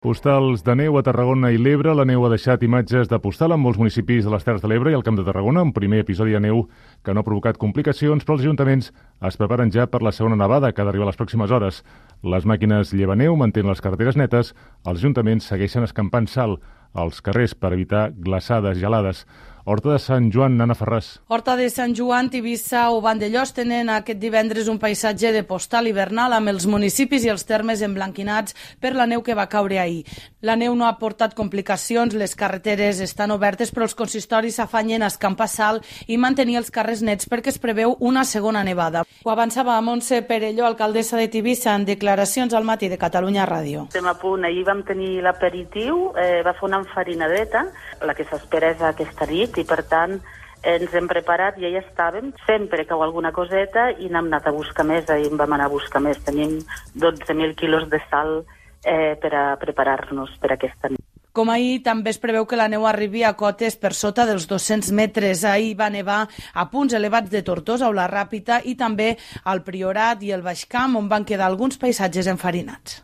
Postals de neu a Tarragona i l'Ebre. La neu ha deixat imatges de postal en molts municipis de les Terres de l'Ebre i al Camp de Tarragona, un primer episodi de neu que no ha provocat complicacions, però els ajuntaments es preparen ja per la segona nevada que ha d'arribar les pròximes hores. Les màquines llevaneu mantenen les carreteres netes, els ajuntaments segueixen escampant sal als carrers per evitar glaçades gelades. Horta de Sant Joan, Anna Ferràs. Horta de Sant Joan, Tivissa o Vandellòs tenen aquest divendres un paisatge de postal hivernal amb els municipis i els termes emblanquinats per la neu que va caure ahir. La neu no ha portat complicacions, les carreteres estan obertes, però els consistoris s'afanyen a escampar sal i mantenir els carrers nets perquè es preveu una segona nevada. Ho avançava Montse Perelló, alcaldessa de Tivissa, en declaracions al matí de Catalunya Ràdio. Estem a punt, ahir vam tenir l'aperitiu, va fer una enfarinadeta, la que s'espera és aquesta nit, i per tant ens hem preparat, ja hi estàvem, sempre cau alguna coseta i n'hem anat a buscar més, ahir en vam anar a buscar més, tenim 12.000 quilos de sal per a preparar-nos per aquesta nit. Com ahir, també es preveu que la neu arribi a cotes per sota dels 200 metres. Ahir va nevar a punts elevats de Tortosa o la Ràpita i també al Priorat i el Baix Camp, on van quedar alguns paisatges enfarinats.